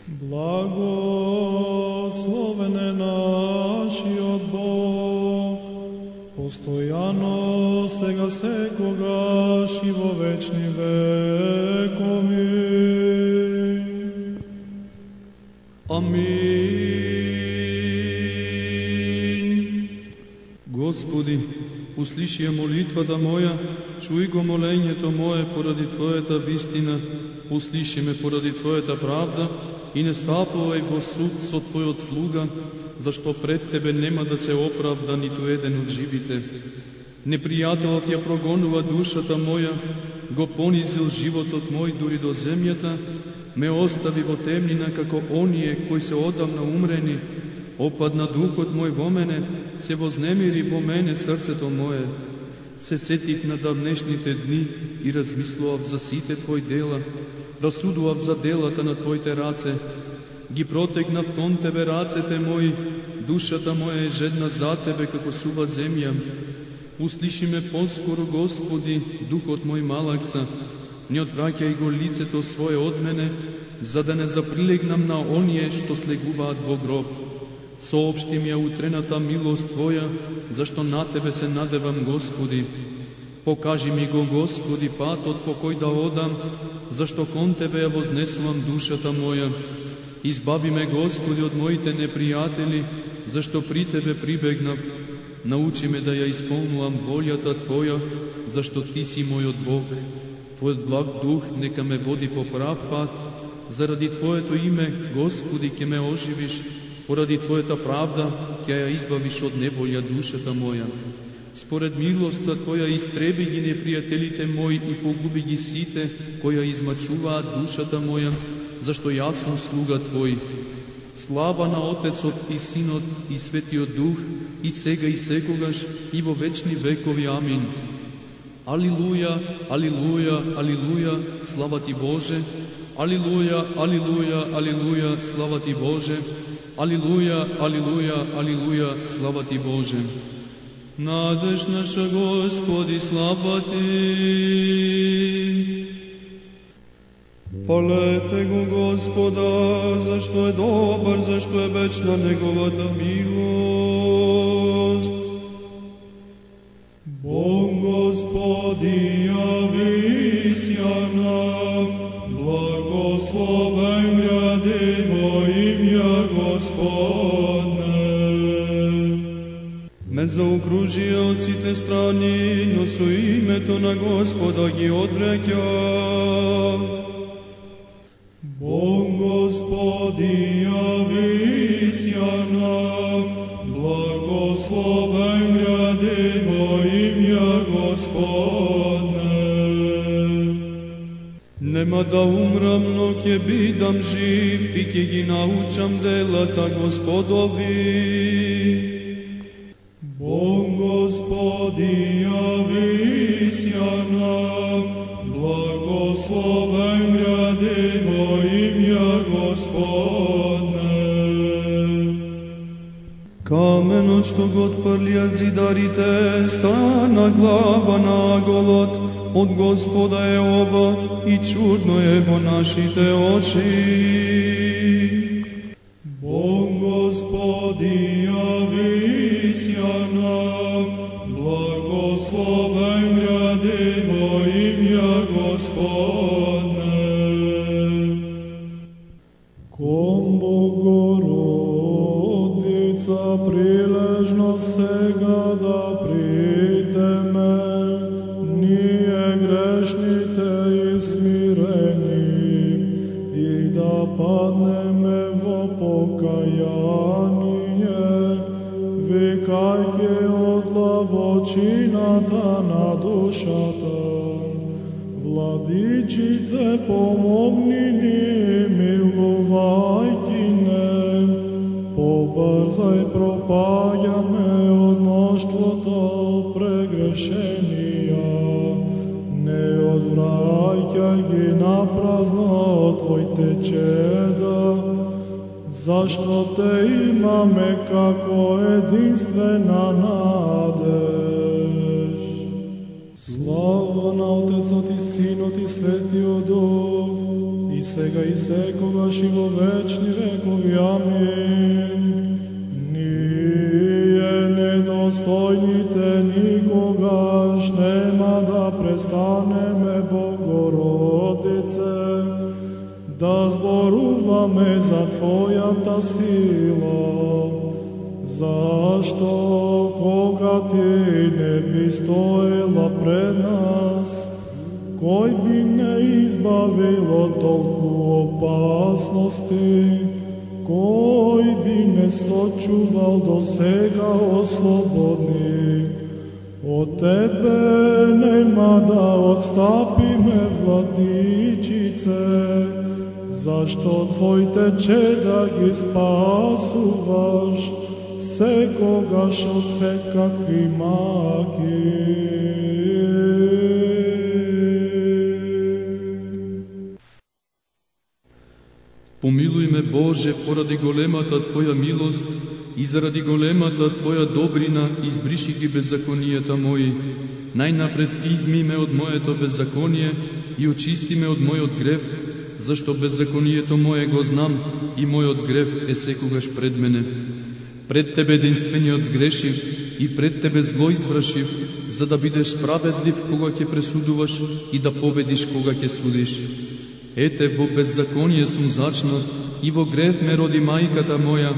Благословен е нашиот Бог, постојано, сега секогаш и во вечни векови. Амин. Господи, услиши ја молитвата моја, чуј го молењето мое поради Твојата вистина, услиши ме поради Твојата правда и не стапувај во суд со Твојот слуга, зашто пред Тебе нема да се оправда ниту еден од живите. Непријателот ја прогонува душата моја, го понизил животот мој дури до земјата, ме остави во темнина како оние кои се одамна умрени, опадна духот мој во мене, се вознемири во мене срцето мое. Се сетих на давнешните дни и размислував за сите Твои дела, расудував за делата на Твоите раце, ги протегнав кон Тебе рацете мои, душата моја е жедна за Тебе како сува земја. Услиши ме поскоро, Господи, духот мој малакса, не одвраќај го лицето свое од мене, за да не заприлегнам на оние што слегуваат во гроб. Соопшти ми ја утрената милост Твоја, зашто на Тебе се надевам, Господи. Покажи ми го, Господи, патот по кој да одам, зашто кон Тебе ја вознесувам душата моја. Избави ме, Господи, од моите непријатели, зашто при Тебе прибегнав. Научи ме да ја исполнувам волјата Твоја, зашто Ти си мојот Бог. Твојот благ дух нека ме води по прав пат, заради Твоето име, Господи, ке ме оживиш, поради Твојата правда ќе ја избавиш од неволја душата моја. Според милоста Твоја истреби ги непријателите мои и погуби ги сите кои ја измачуваат душата моја, зашто јас сум слуга Твој. Слава на Отецот и Синот и Светиот Дух, и сега и секогаш, и во вечни векови. Амин. Алилуја, алилуја, алилуја, слава Ти Боже. Алилуја, алилуја, алилуја, слава Ти Боже. Алилуја, алилуја, алилуја, слава Ти Боже. Надеж наша, Господи, слава Ти. Фалете го Господа, зашто е добар, зашто е вечна Неговата милост. Бог Господи, јавись ја нам, благословен гради во имја Господне. Ме заокружија од сите страни, но со името на Господа ги одвраќав. Бог Господи, јавись ја нам, благословен гради во имја Господне. Нема да умрам, но ќе бидам жив и ќе ги научам делата Господови. Бог Господи, јавись ја нам, благословен гради во имја Господне. Каменот што го отфрлиат зидарите, стана глава на голот, од Господа е ова и чудно е во нашите очи. Бог Господи, јавись ја нам, благословен гради во имја Господне. Кон Богородица прилежно сега да придеме, ние грешните и смирени, и да паднеме во покаяние, викајќи од длабочината на душата. Владичице, помогни ни, милувајќи не, побрзај, пропаѓаме од мноштвото прегрешенија, не одвраќај ги напразно од Твоите чеда, зашто Те имаме како единствена надеж. Слава на Отецот и Синот и Светиот Дух, и сега и секогаш и во вечни векови. Амин. Ние недостојните никогаш нема да престанеме, Богородице, да зборуваме за Твојата сила, зашто кога Ти не би стоела пред нас, кој би не избавил од толку опасности, кој би не сочувал до сега ослободни. Од Тебе нема да отстапиме, Владичице, зашто Твоите чеда ги спасуваш секогаш од секакви маки. Помилуј ме, Боже, поради големата Твоја милост и заради големата Твоја добрина избриши ги беззаконијата мои. Најнапред изми ме од моето беззаконие и очисти ме од мојот грев, зашто беззаконието мое го знам и мојот грев е секогаш пред мене. Пред Тебе единствениот сгрешив и пред Тебе зло извршив, за да бидеш справедлив кога ќе пресудуваш и да победиш кога ќе судиш. Ете, во беззаконие сум зачнат и во грев ме роди мајката моја,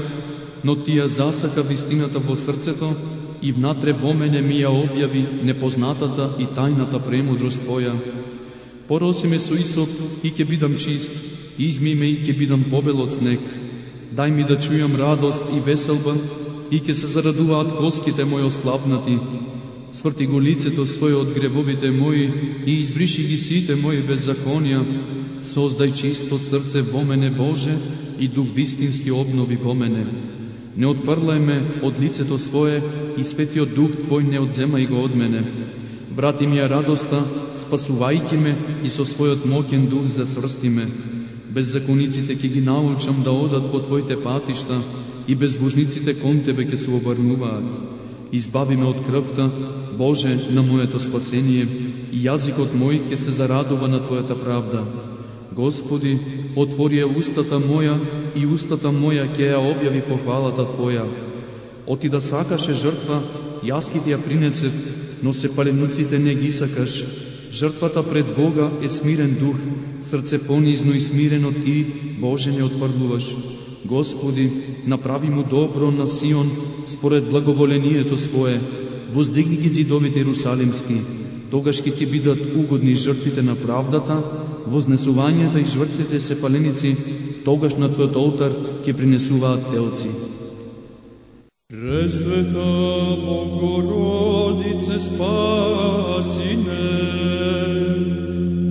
но Ти ја засака вистината во срцето и внатре во мене ми ја објави непознатата и тајната премудрост Твоја. Пороси ме со исоп и ќе бидам чист, изми ме и ќе бидам побел од снег. Дај ми да чујам радост и веселба и ќе се зарадуваат коските мои ослабнати. Сврти го лицето свое од гревовите мои и избриши ги сите мои беззаконија. Создај чисто срце во мене, Боже, и дух вистински обнови во мене. Не отфрлај ме од лицето свое и светиот дух Твој не одземај го од мене. Врати ми ја радоста, спасувајќи ме и со својот моќен дух засврсти ме. Беззакониците ќе ги научам да одат по Твоите патишта и безбожниците кон Тебе ќе се обрнуваат. Избави ме од крвта, Боже, на моето спасение, и јазикот мој ќе се зарадува на Твојата правда. Господи, отвори ја устата моја и устата моја ќе ја објави похвалата Твоја. Оти да сакаше жртва, јас ќе Ти ја принесев, но се паленуците не ги сакаш. Жртвата пред Бога е смирен дух, срце понизно и смирено Ти, Боже, не отврлуваш. Господи, направи му добро на Сион според благоволението Свое. Воздигни ги ѕидовите Иерусалимски, тогаш ќе Ти бидат угодни жртвите на правдата, вознесувањата и жртвите се паленици, тогаш на Твојот олтар ќе принесуваат телци. Пресвета Богородице, спаси не,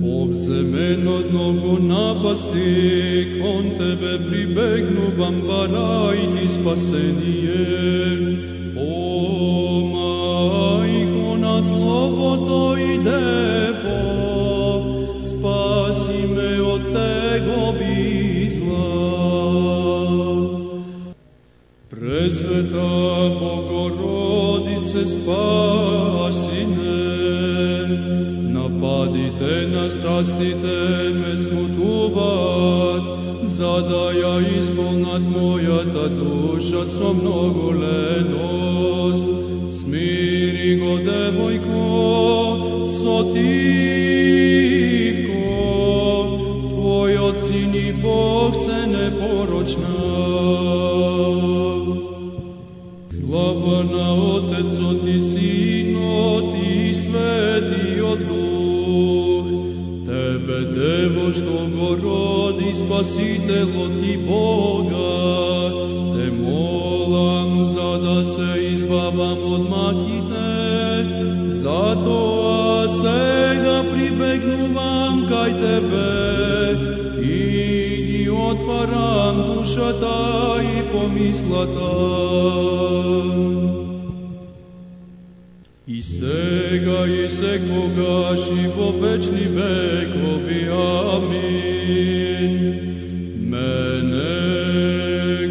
обземен од многу напасти, кон Тебе прибегнувам, барајќи спасение. О, Мајко на Словото и Дево, спаси ме од тегови зла. Пресвета Богородице, спаси не, нападите на страстите ме смутуваат, за да ја исполнат мојата душа со многу леност. Смири го, девојко, сотивко, Твојот Син и Бог се непорочна. Слава на Отецот и Синот и Светиот Дух, Тебе, Дево, што го роди Спасителот и Бога, Те молам за да се избавам од маките, затоа сега прибегнувам кај Тебе и ги отварам душата и помислата. И сега и секогаш и во вечни векови. Амин. Мене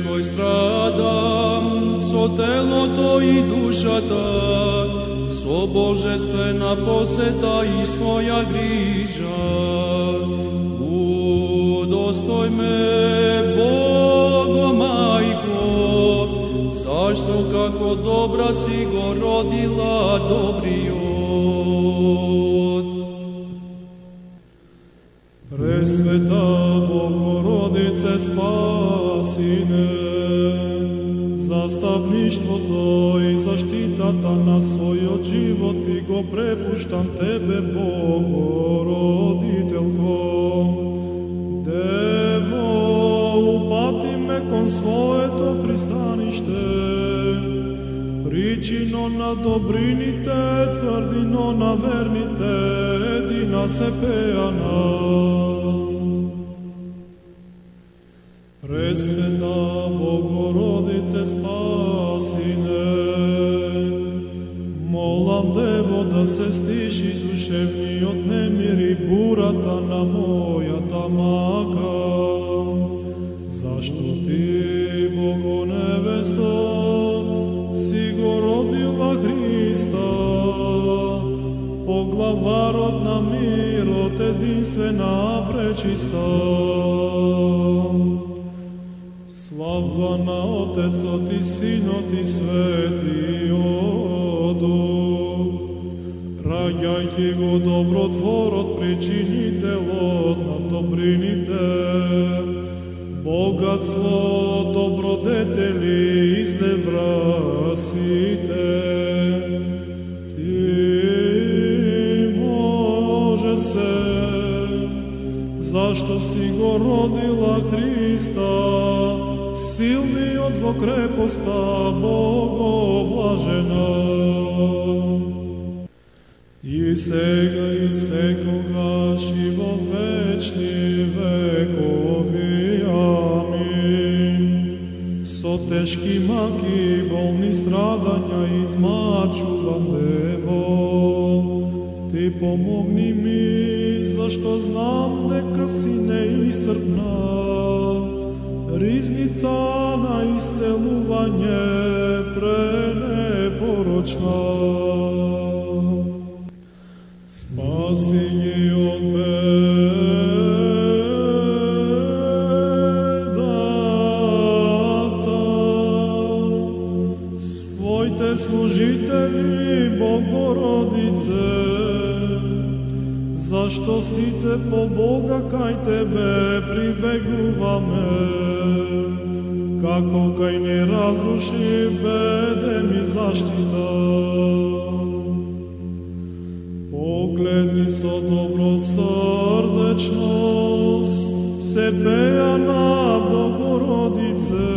кој страдам со телото и душата, со божествена посета и своја грижа, Опростој ме, Бого мајко, зашто како добра си го родила добриот. Пресвета Богородице Спасине, застапништвото и заштитата на својот живот и го препуштам Тебе, Богородителко. Дево, упати ме кон своето пристаниште, причино на добрините, тврдино на верните, едина сепејана. Пресвета Богородице Спасине, молам Дево да се стиши душевниот немир и бурата на мојата мака, зашто Ти, Бого невесто, си го родила Христа, поглаварот на мирот, единствена пречиста. Слава на Отецот и Синот и Светиот Дух, раѓајќи го добротворот, причинителот на добрините, богатство, добродетели изневрасите. Ти може се, зашто си го родила Христа, силниот во крепоста, Богоблажена. И сега и секогаш и во вечни векови. Амин. Со тешки маки, болни страдања измачувам Дево. Ти помогни ми, зашто знам дека си неисцрпна, ризница на исцелување пренепорочна. Спаси ги од бедата, своите служители, Богородице, зашто сите по Бога кај Тебе прибегуваме, како кај неразрушив бедем и заштита. Погледни со добросрдечност, се пеја на Богородице,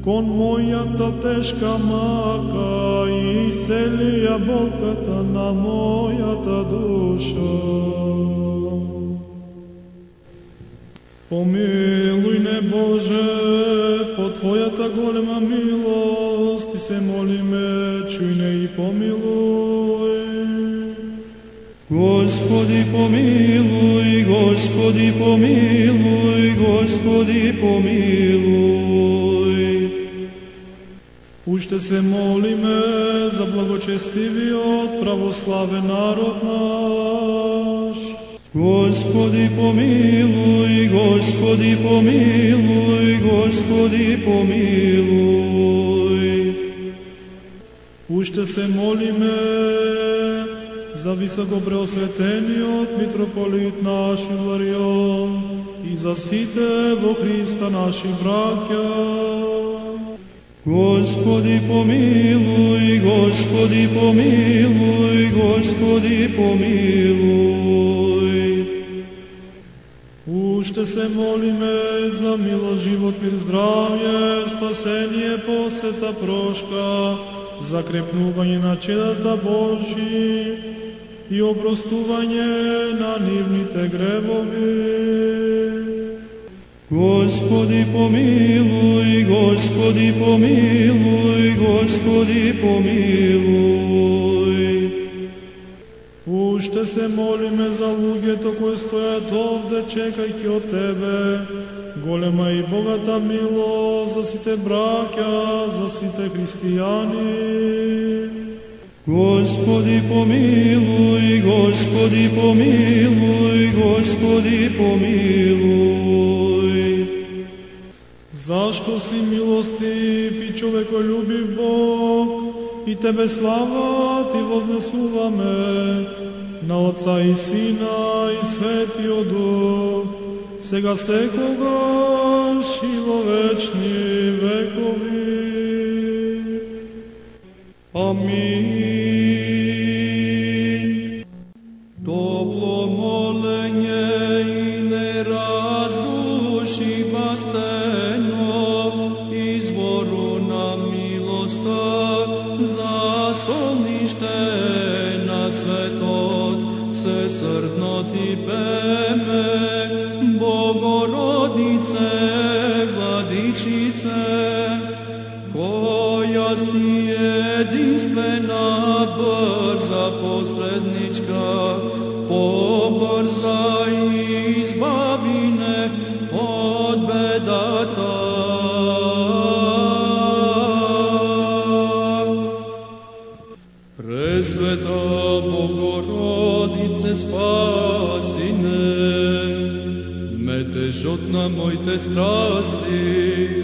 кон мојата тешка мака и исцелија болката на мојата душа. Помилуј не Боже, по Твојата голема милост, Ти се молиме, чуј не и помилуј. Господи помилуј, Господи помилуј, Господи помилуј. Уште се молиме за благочестивиот православен народ наш. Господи помилуј, Господи помилуј, Господи помилуј. Уште се молиме за високопреосветениот митрополит наш Иларион и за сите во Христа наши браќа. Господи помилуј, Господи помилуј, Господи помилуј. Уште се молиме за мило, живот, мир, здравје, спасение, посета, прошка, закрепнување на чедата Божи и опростување на нивните гревови. Господи помилуј, Господи помилуј, Господи помилуј. Уште се молиме за луѓето кои стојат овде чекајќи од Тебе, голема и богата милост за сите браќа, за сите христијани. Господи помилуй, Господи помилуй, Господи помилуй. Зашто си милостив и човеколюбив Бог, и Тебе слава Ти вознесуваме, на Отца и Сина и Светиот Дух, сега секогаш и во вечни векови. Амин. Топло моленje и не раздуши бастено, извору на милоста, за солнище на светот, всесрдно Ти беме, Богородице, Владичице, која си единствена, брза посредничка, побрза и избави не од бедата. Пресвета Богородице, спаси не, метежот на моите страсти,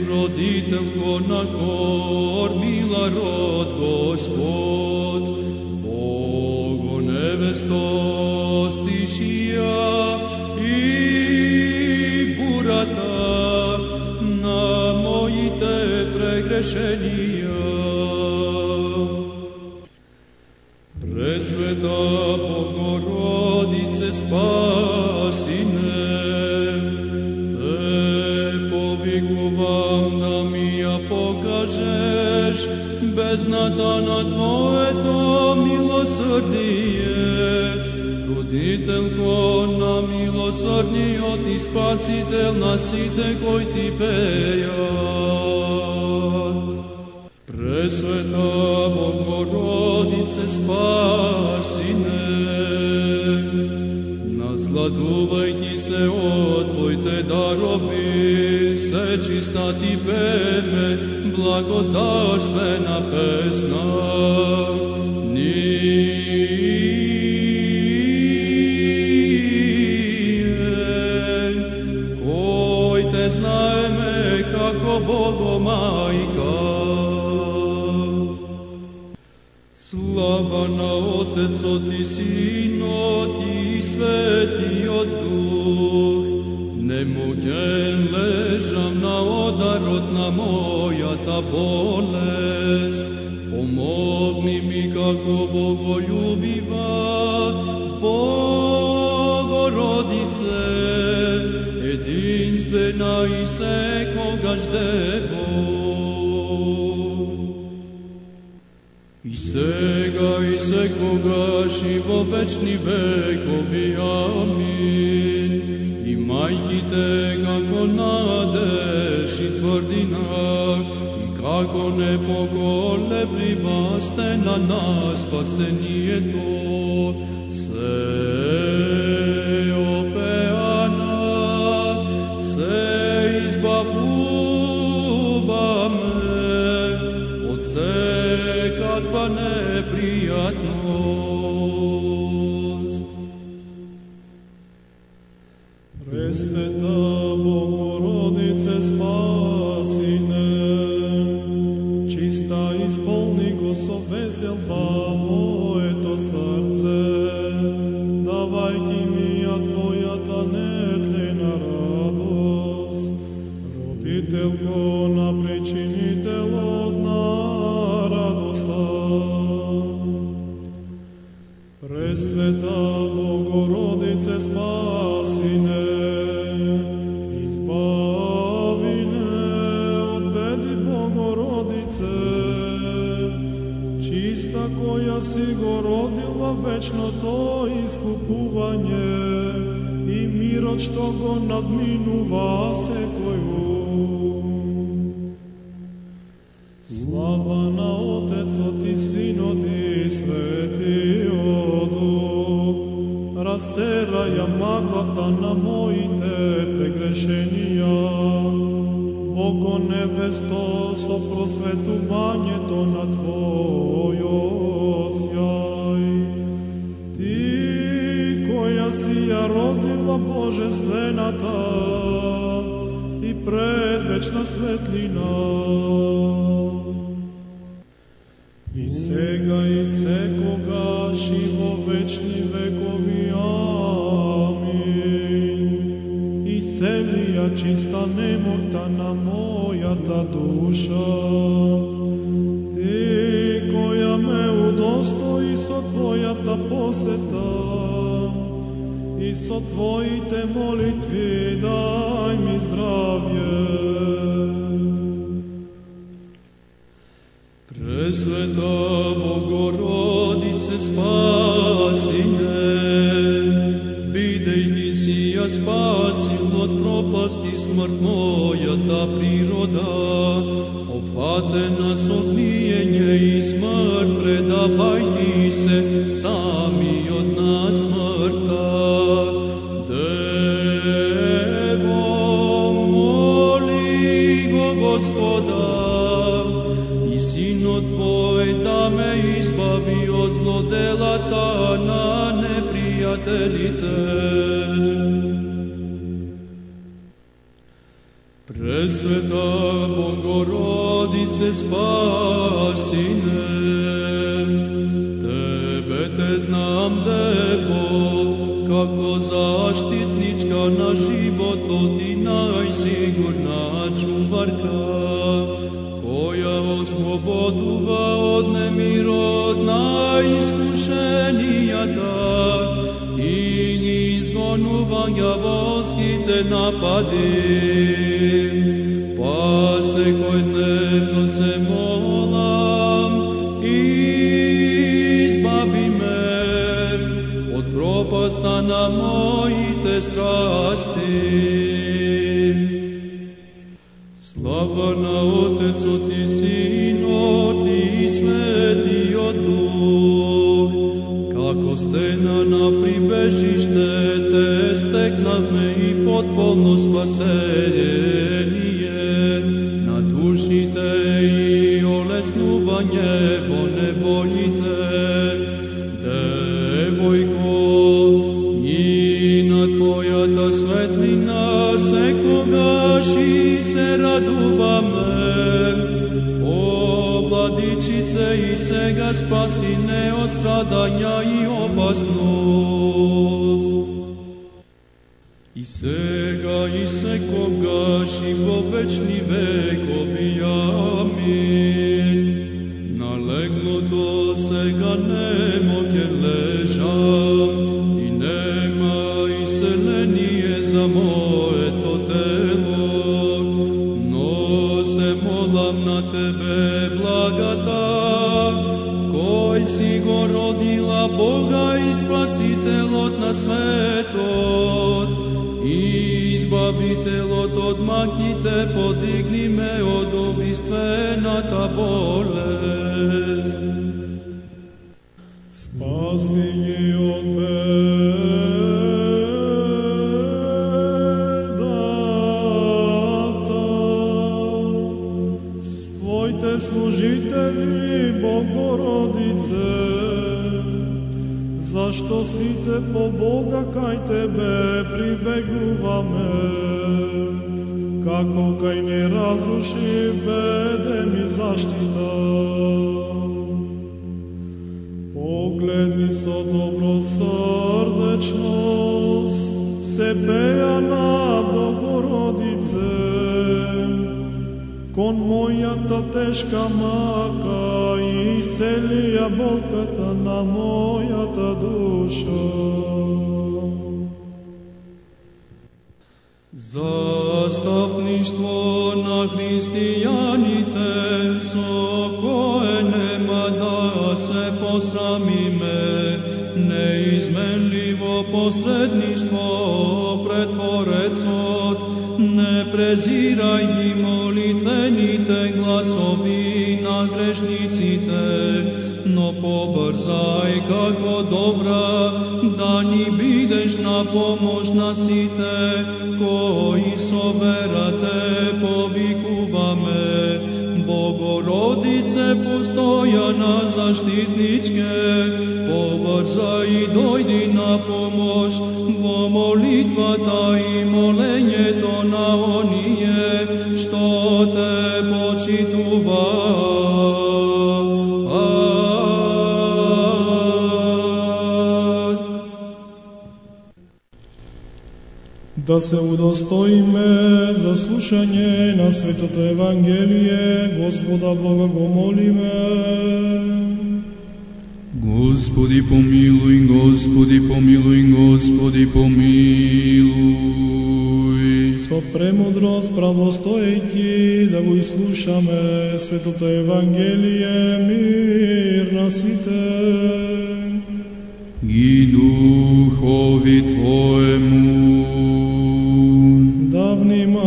родителко на корбила род Господ, Бого невесто стишија и бурата на моите прегрешенија. Пресвета Богородице, спаси не, повикувам да ми ја покажеш бездната на Твоето милосрдие, родителко на милосрдниот и спасител на сите кои Ти бејат. Пресвета Богородице, спаси не, насладувајќи се од Твоите дарови, се чиста Ти беме, благодарствена песна. Ние, кои Те знаеме како Богомајка. Слава на Отецот и Синот и Светиот Дух, немоќен лежам на ударот на мојата болест. Помогни ми како боголюбива Богородице, единствена и секогаш Дево. И сега и секогаш и во вечни векови. Амин. И мајките како надеж и тврдина, и како непоколеблива стена на спасението, се опеана, се избавуваме од секаква непријатност. Пресвета Богородице, спаси не, чиста исполни го со веселба моето срце, давајќи ми ја Твојата нетлена радост, родителко на причинителот на радоста. Пресвета Богородице, спаси не, избави не од беди, Богородице, чиста која си го родила вечното искупување и мирот што го надминува секој ум. Слава на Отецот и Синот и Светиот Дух, растераја маглата на моите прегрешенија, Бого невесто, со просветувањето на Твојот божествената и предвечна светлина. И сега и секогаш и во вечни векови. Амин. Иселија чиста немота на мојата душа, Ти која ме удостои со Твојата посета и со Твоите молитви дај ми здравје. Пресвета Богородице, спаси ме, бидејќи си ја спасил од пропасти смрт мојата природа, опфатена со гниење и смрт, предавајќи се самиот на смртта. Дево, моли го Господа, Синот Твој да ме избави од злоделата на непријателите. Пресвета Богородице, спаси ме, Тебе те знам, Дево, како заштитничка на животот и најсигурна чуварка, која ослободува од немирот на искушенијата и ги изгонува ѓаволските напади. Па секој дневно се молам, избави ме од пропаста на моите страсти. Слава на Отецот и Синот и Светиот Дух, како стена на прибежиште те стекнавме и потполно спасение на душите и олеснување во неволите. Девојко, и на Твојата светлина секогаш и се радуваме. О, Владичице, и сега спаси не од страдања и опасност. И сега и секогаш и во вечни векови. Амин. На леглото сега немо ке лежам и нема иселение за моето тело, но се молам на Тебе благата, кој си го родила Бога и Спасителот на светот, и избавителот од маките, подигни ме од убиствената болест. Спаси ги од бедата, своите служители, Богородице, зашто сите по Бога кај Тебе прибегуваме, како кај неразрушив беден и заштита. Погледни со добросрдечност, се пеја на Богородице, кон мојата тешка мака и исцелија болката на мојата душа. Застапништво на христијаните, со кое нема да се посрамиме, неизменливо посредништво пред Творецот, не презирај ги молитвените гласови на грешниците, но побрзај како добра да ни бидеш на помош на сите, кои со вера Те повикуваме. Богородице, постојана заштитничке, побрзај и дојди на помош во молитвата и молењето на оние што те почитуваат. Да се удостоиме за слушање на Светото Евангелие, Господа Бога го молиме. Господи помилуј, Господи помилуј, Господи помилуј. Со премудрост правостоејќи да го изслушаме Светото Евангелие, мир на сите. И духови Твоему да внимаваме.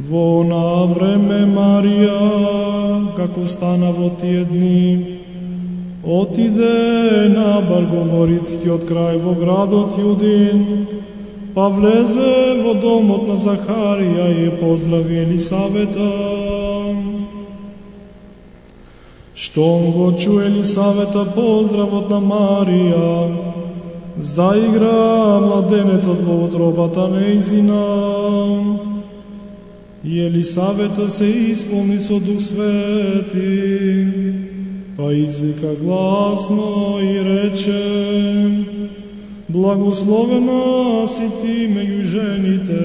Во она време Марија, како стана во тие дни, отиде на Барговорицкиот крај во градот Јудин, па влезе во домот на Захарија и ја поздрави Елисавета. Штом го чу Елисавета поздравот на Марија, заигра младенецот во утробата нејзина. И Елисавета се исполни со Дух Свети, па извика гласно и рече: Благословена си ти меѓу жените,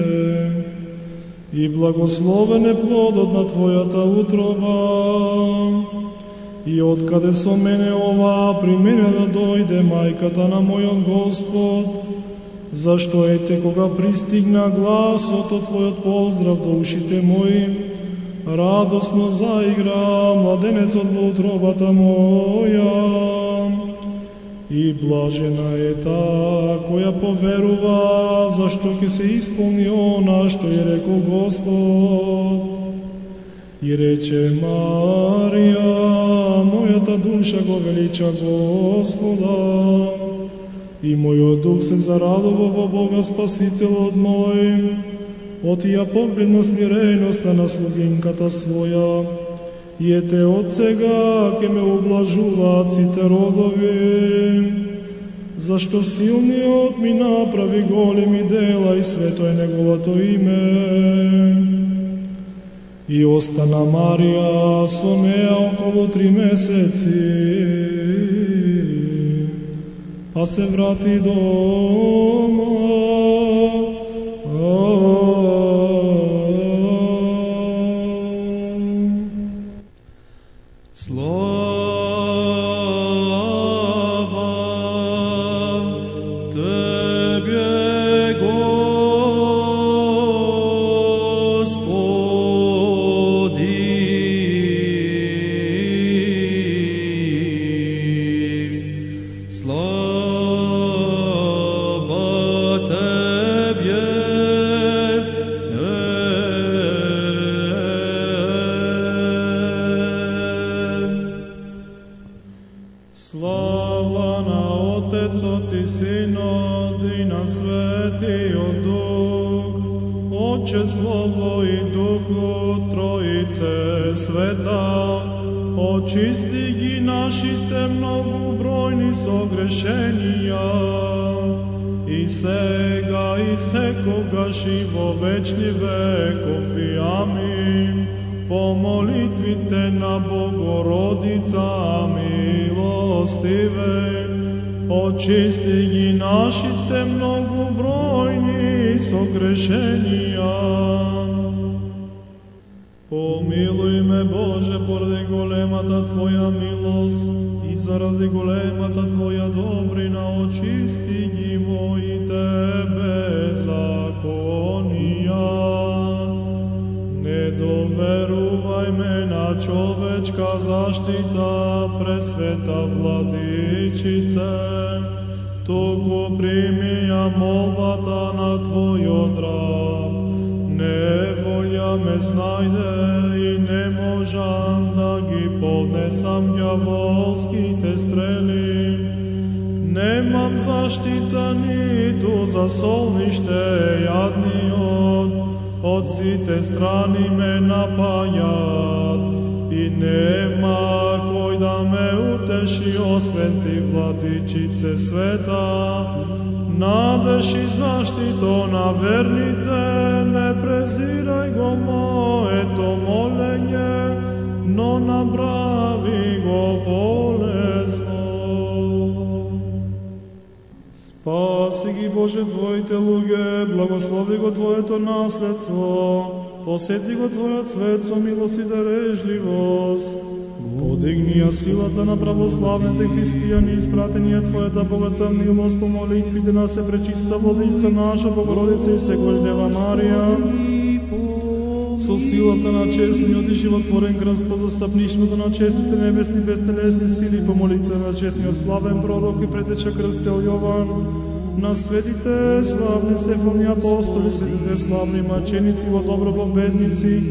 и благословен е плодот на твојата утроба. И откаде со мене ова при мене да дојде мајката на мојот Господ, зашто ете кога пристигна гласот од Твојот поздрав до ушите мои, радосно заигра младенецот во утробата моја. И блажена е таа која поверува, зашто ќе се исполни она што ја рекол Господ. И рече Марија: мојата душа го велича Господа, и мојот дух се зарадува во Бога Спасителот мој. Отија погледна смиреноста на слугинката своја, и ете од сега ке ме облажуваат сите родови. Зашто силниот ми направи големи дела и свето е неговото име. И остана Марија со неа околу 3 месеци, па се врати дома. Слава на Отецот и Синот и на Светиот Дух, Отче, Слово и Духот, Троице света, очисти ги нашите многобројни согрешенија, и сега и секогаш и во вечни векови. Амин. По молитвите на Богородица милостиве, очисти ги нашите многобројни согрешенија. Помилуј ме, Боже, поради големата Твоја милост и заради големата Твоја добрина, очисти ги моите беззаконија. Не доверувај ме на човечка заштита, пресвета Владичице, туку прими ја молбата на Твојот раб. Неволја ме снајде и не можам да ги поднесам ѓаволските стрели. Немам заштита ниту за солниште јадниот, од сите страни ме напајат и и нема кој да ме утеши освен ти, владичице света. Надеж и заштито на верните, не презирај го моето молење, но направи го полезно. Спаси ги, Боже, Твоите луѓе, благослови го Твоето наследство, посети го Твојот свет со милост и дарежливост. Подигни ја силата на православните христијани, испратени ја Твојата богата милост по молитвите на се пречиста Владица наша Богородица и секојаш Дева Марија. Со силата на честниот и животворен крст, по застапништвото на честните небесни безтелесни сили, по молитва на честниот славен пророк и претеча крстел Јован, на светите славни сефални апостоли, светите славни маченици во добро победници,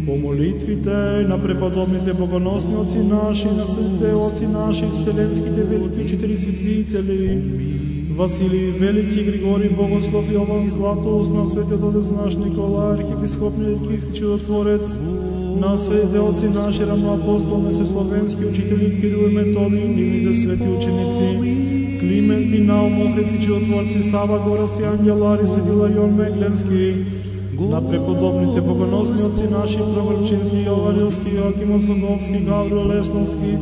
по молитвите на преподобните богоносни оци наши, на светите оци наши, вселенските велики учители светители, Василий Велики, Григорий Богослов, Јован Златоуст, на светиот отец наш Николај, архиепископ Никийски чудотворец, на светите оци наши равноапостолни словенски учители Кирил и Методий, нивните свети ученици, Климент и Наум, охрици чудотворци, Сава Горас и Ангелари, Светила Јон Мегленски, на преподобните богоносни отци наши, Проврчински, Јованилски, Јоаким Осоговски, Гаврил Лесновски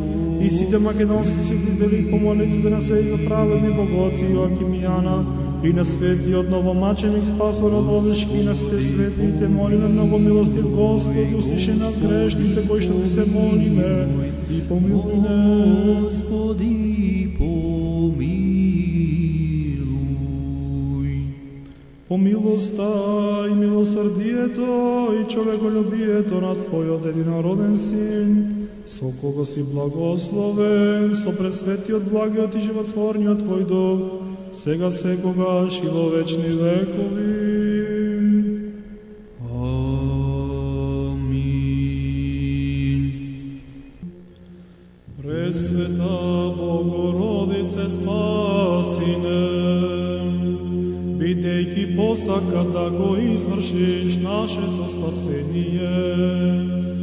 и сите македонски светители, по молитвите на свети за праведни богоци, Јоаким и Јана, и на светиот новомаченик Спасо Радовишки, и на сите светите, молиме много милостив Господи, услиши нас грешните, кои што ти се молиме, и помилуј нас. Господи, помилуј. По милоста и милосрдието и човеколюбието на Твојот единороден Син, со кого си благословен, со пресветиот, благиот и животворниот Твој Дух, сега секогаш и во вечни векови. Амин. Пресвета Богородице, спаси не, бидејќи посака да го извршиш нашето спасение,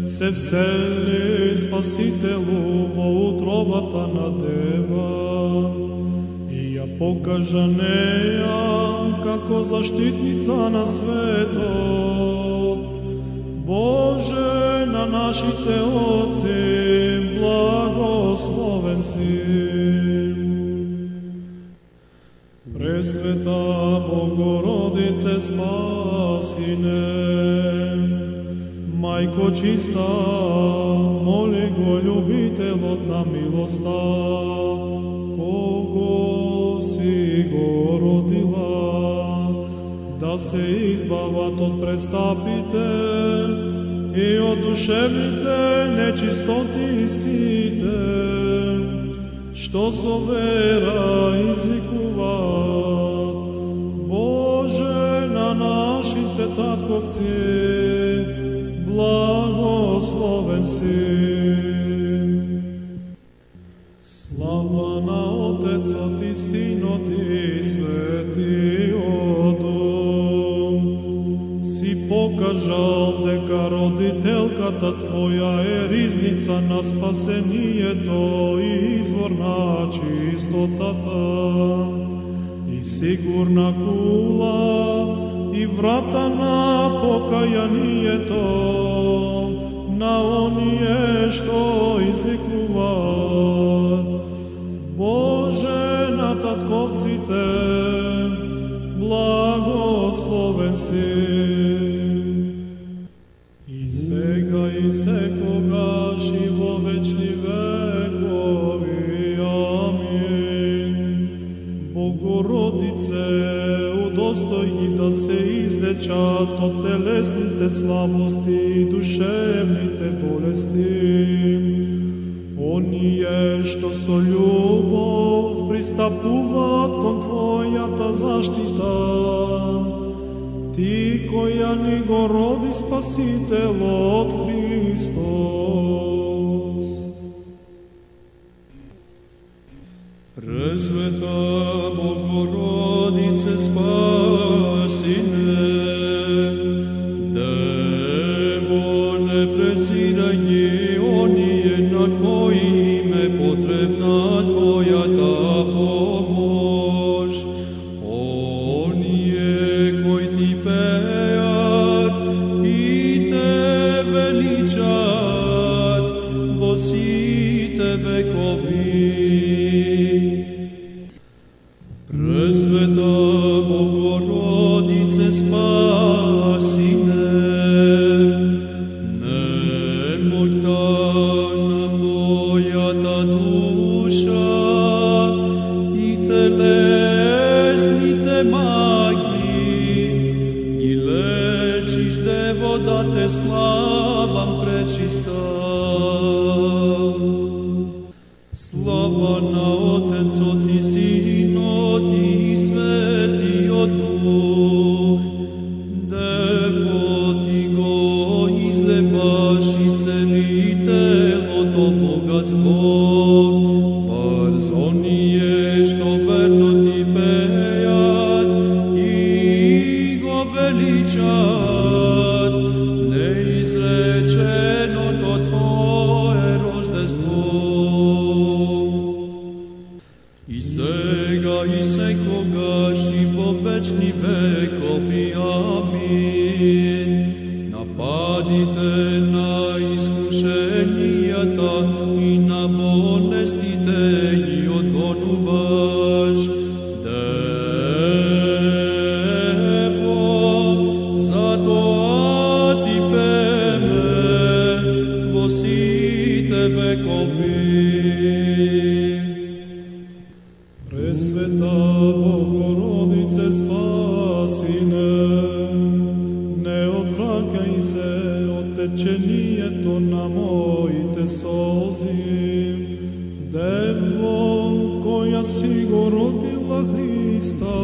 се всели Спасителу во утробата на Дева и ја покажа неја како заштитница на светот. Боже, на нашите отци, благословен си. Пресвета Богородице, спаси не. Мајко чиста, моли го љубителот на милоста, кого си го родила, да се избават од престапите и од душевните нечистоти сите, што со вера извикуваат. Боже, на нашите татковци, благословен си. Слава на Отецот и Синот и Светиот Дух. Си покажал дека родителката Твоја е ризница на спасението и извор на чистотата, и сигурна кула и врата на покајанието на оние што извикуваат. Боже, на татковците, благословен си. И сега и секогаш и во вечни векови. Амин. Богородице, удостој ги да се излечат од телесните слабости и душевните болести. Оние што со љубов пристапуваат кон Твојата заштита, Ти која ни го роди Спасителот Христос. Пресвета Богородице, спаси не. Дево, не презирај ги они да те славам пречиста. Слава на Отецот и Синот и Светиот Дух, Дево ти го излепаш из целителото богатство, врз оние што верно ти пеат и го величат неизреченото Твое рождество. И сега и секогаш и во вечни векови. Амин. Нападите на искушенијата и на болестите ги одгонуваш. Дево, затоа ти пеме во сите векови. Пресвета Богородице, спаси не одвраќај се од течението на моите солзи. Дево, која си го родила Христа,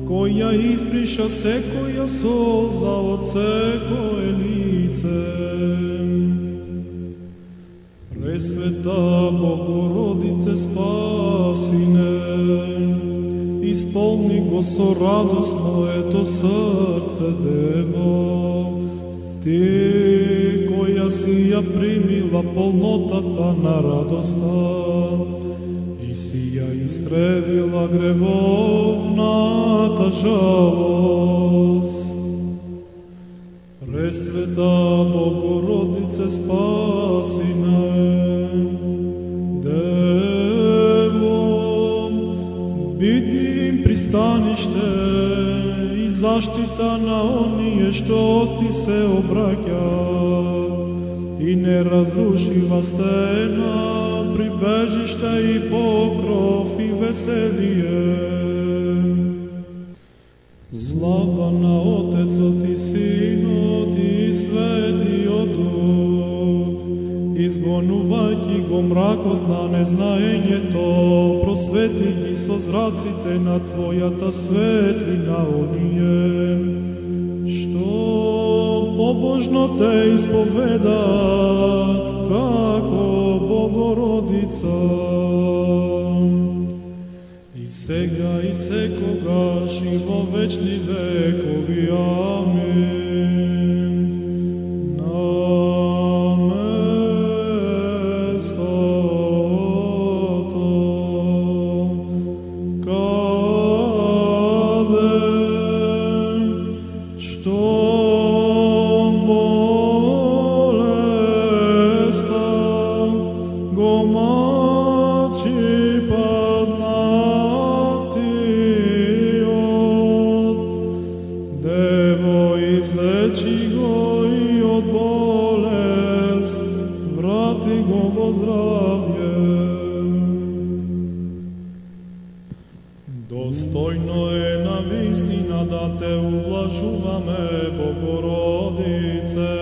која избриша секоја солза од секое лице. Пресвета Богородице, спаси исполни го со радост моето срце, Дево, ти која си ја примила полнотата на радоста и си ја истребила гревовната жалост. Пресвета Богородице, спаси Дево, биди им пристаниште и заштита на оние што ти се обраќаат и неразрушива стена, прибежиште и покров и веселие. Слава на Отецот и Синот и Светиот Дух, изгонувајќи го мракот на незнаењето, просвети ги со зраците на Твојата светлина оние, што побожно те исповедаат како Богородица. И сега и секогаш и во вечни векови. Амин. Достојно е на вистина да те ублажуваме, Богородице,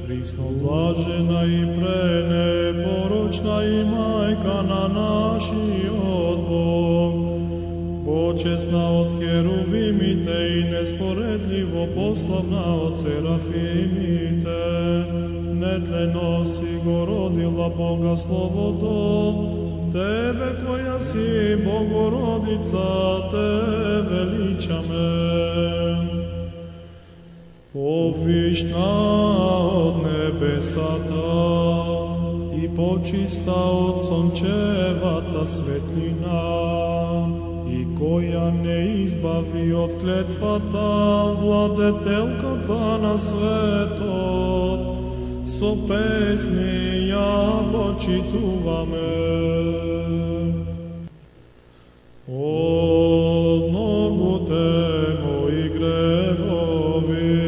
присно блажена и пренепорочна и мајка на нашиот Бог, почесна од херувимите и неспоредливо пославна од серафимите, нетлено си го родила Бога Словото, Тебе која си Богородица, те величаме. Повишна од небесата и почиста од сончевата светлина, и која не избави од клетвата владетелката на светот, со песни ја почитуваме. Од многуте мои гревови,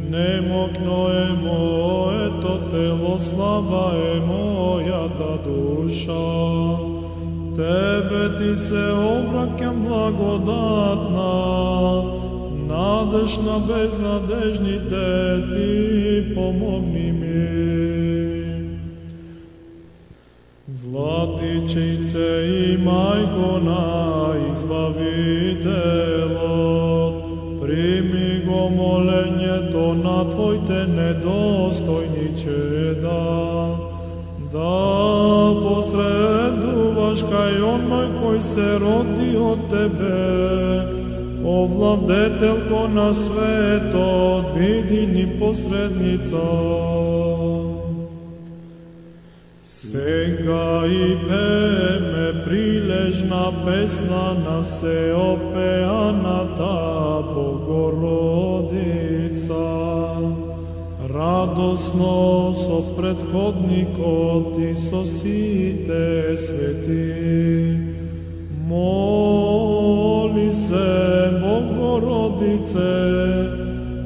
немокно е моето тело, слаба е мојата душа. Тебе ти се обраќам благодатна, надеж на безнадежните, ти помогни ми. Владичице и мајко на Избавителот, прими го молењето на Твоите недостојни чеда, да посредуваш кај оној кој се роди од Тебе, о владетелко на светот, биди ни посредница. Сега и пеме прилежна песна на сеопеаната Богородица. Радосно со предходникот и со сите свети. Моли се, Богородице,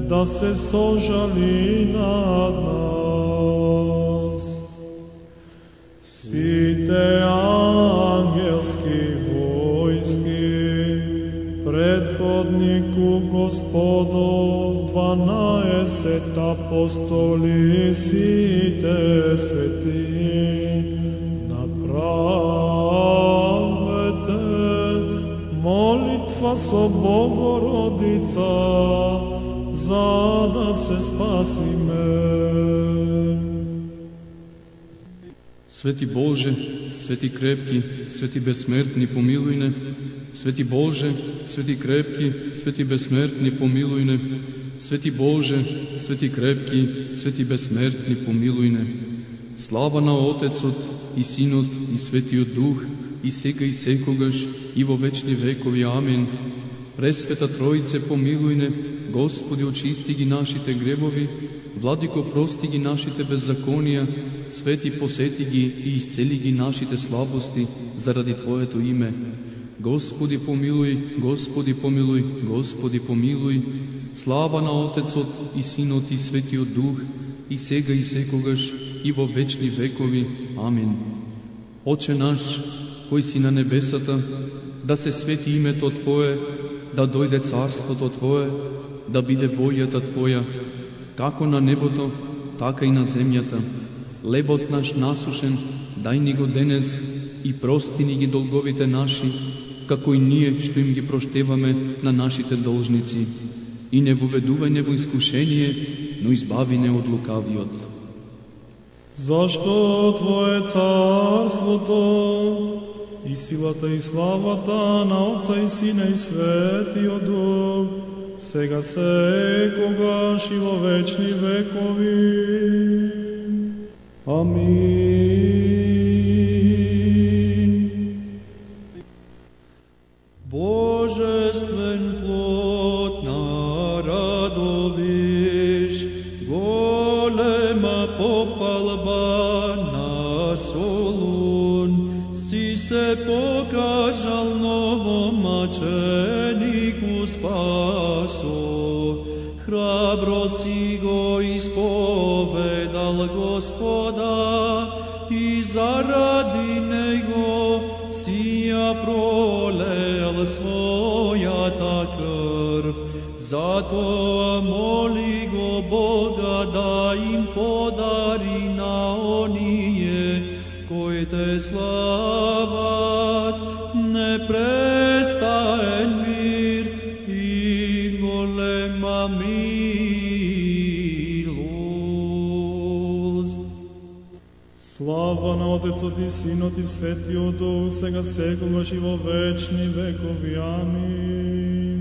да се сожали над нас. Сите ангелски војски, предходнику Господов, 12 апостоли, сите свети, направете молитва со Богородица, за да се спасиме. Свети Боже, свети крепки, свети безсмертни, помилуј не. Свети Боже, свети крепки, свети безсмертни, помилуј не. Свети Боже, свети крепки, свети безсмертни, помилуј не. Слава на Отецот и Синот и Светиот Дух, и сега и секогаш, и во вечни векови. Амин. Пресвета Троице, помилуј не. Господи, очисти ги нашите гребови, Владико, прости ги нашите беззаконија, Свети, посети ги и исцели ги нашите слабости заради Твоето име. Господи, помилуј, Господи, помилуј, Господи, помилуј. Слава на Отецот и Синот и Светиот Дух, и сега и секогаш, и во вечни векови. Амин. Отче наш, кој си на небесата, да се свети името Твое, да дојде царството Твое, да биде волјата Твоја, како на небото, така и на земјата. Лебот наш насушен, дај ни го денес и прости ни ги долговите наши, како и ние што им ги проштеваме на нашите должници. И не воведувај не во искушение, но избави не од лукавиот. Зашто Твое царството и силата и славата на Отца и Сина и Светиот Дух, сега секогаш и во вечни векови. Амин. Божествен плод народовиш, голема попалба на Солун, си се покажал новомаченику спасо, храбро си го исповедал Господа и заради него си ја пролел својата крв. Затоа моли го Бога да им подари на оние кои те слават непрестаен мир и голема милост. Слава на Отецот и Синот и Светиот Дух, сега секогаш и во вечни векови. Амин.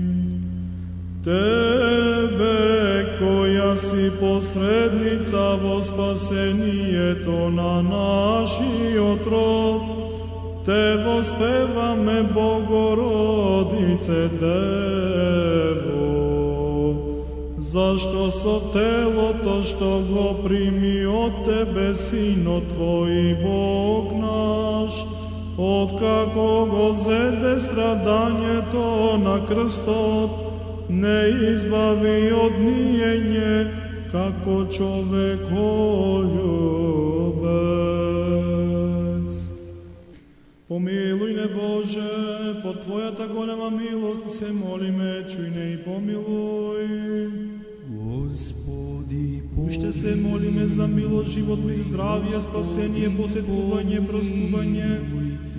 Тебе, која си посредница во спасението на нашиот род, те воспеваме, Богородице Дево, зашто со телото што го прими од Тебе Синот Твој Бог наш, откако го зеде страдањето на крстот, не избави од ниење како човеколюбец. По Помилуј не Боже, по Твојата голема милост се молиме, чуј не и помилуј. Господи, Уште се молиме за милост, живот, мир, здравие, спасение, посетување, простување,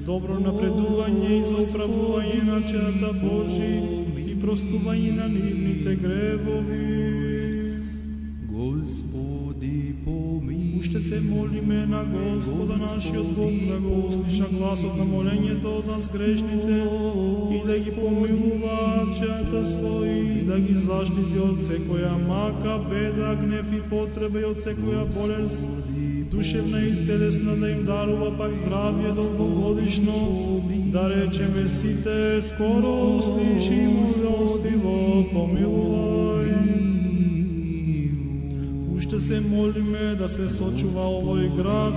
добро напредување и за управување на челата Божи и простување на нивните гревови. Господи, помилуј. Уште се молиме на Господа нашиот Бог да го услиша гласот на молењето од нас грешните и да ги помилува челата своји, да ги заштити од секоја мака, беда, гнев и потреба и од секоја болест, душевна и телесна, да им дарува пак здравие долгогодишно, да речеме сите, скоро услиши милостиво помилувај. Уште се молиме да се сочува овој град,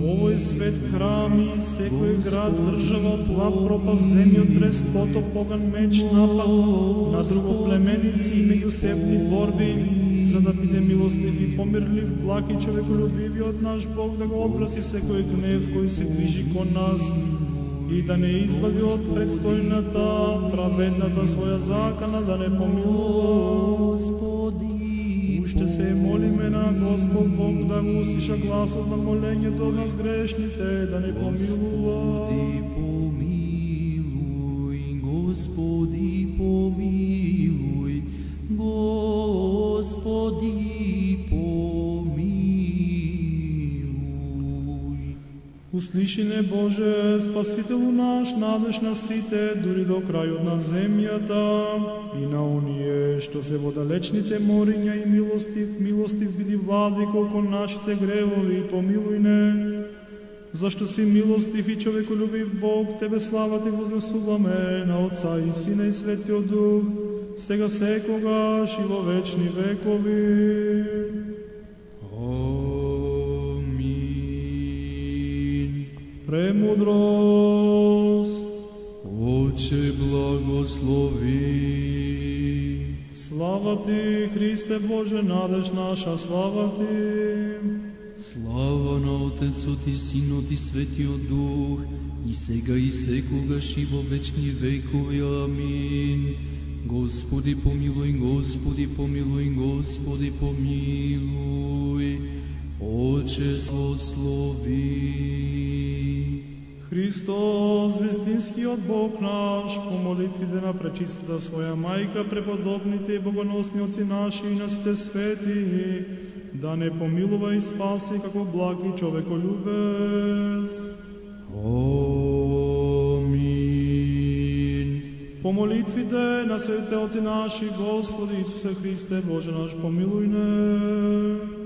овој свет, храми, секој град, држава, плав, пропаст, земјотрес, потоп, поган, меч, напад на другоплеменици и меѓусебни борби, за да биде милостив и помирлив, благ и човеколюбивиот наш Бог, да го одврати секој гнев кој се движи кон нас и да не избави од предстојната, праведната своја закана, да не помилува. Уште се молиме на Господ Бог да го услиша гласот на молењето од нас грешните, да не помилува. Господи, помилуј, Господи, помилуј. Услиши не Боже, Спасителу наш, надеж на сите, дури до крајот на земјата, и на оние што се во далечните мориња и милостив биди владико кон нашите гревови, помилуј не. Зашто си милостив и човеколюбив Бог, Тебе слава Ти вознесуваме на Отца и Сина и Светиот Дух, сега секогаш и во вечни векови. Амин. Премудрост. Отче, благослови. Слава Ти, Христе Боже, надеж наша, слава Ти. Слава на Отецот и Синот и Светиот Дух, и сега и секогаш и во вечни векови. Амин. Господи помилуј, Господи помилуј, Господи помилуј. Отче, благослови. Христос, вистинскиот Бог наш, по молитвите на пречистата своја мајка, преподобните и богоносни отци наши и на сите свети, да не помилува и спаси како благ и човеколюбец. Амин. По молитвите на сите отци наши, Господи Исусе Христе, Боже наш, помилуј не.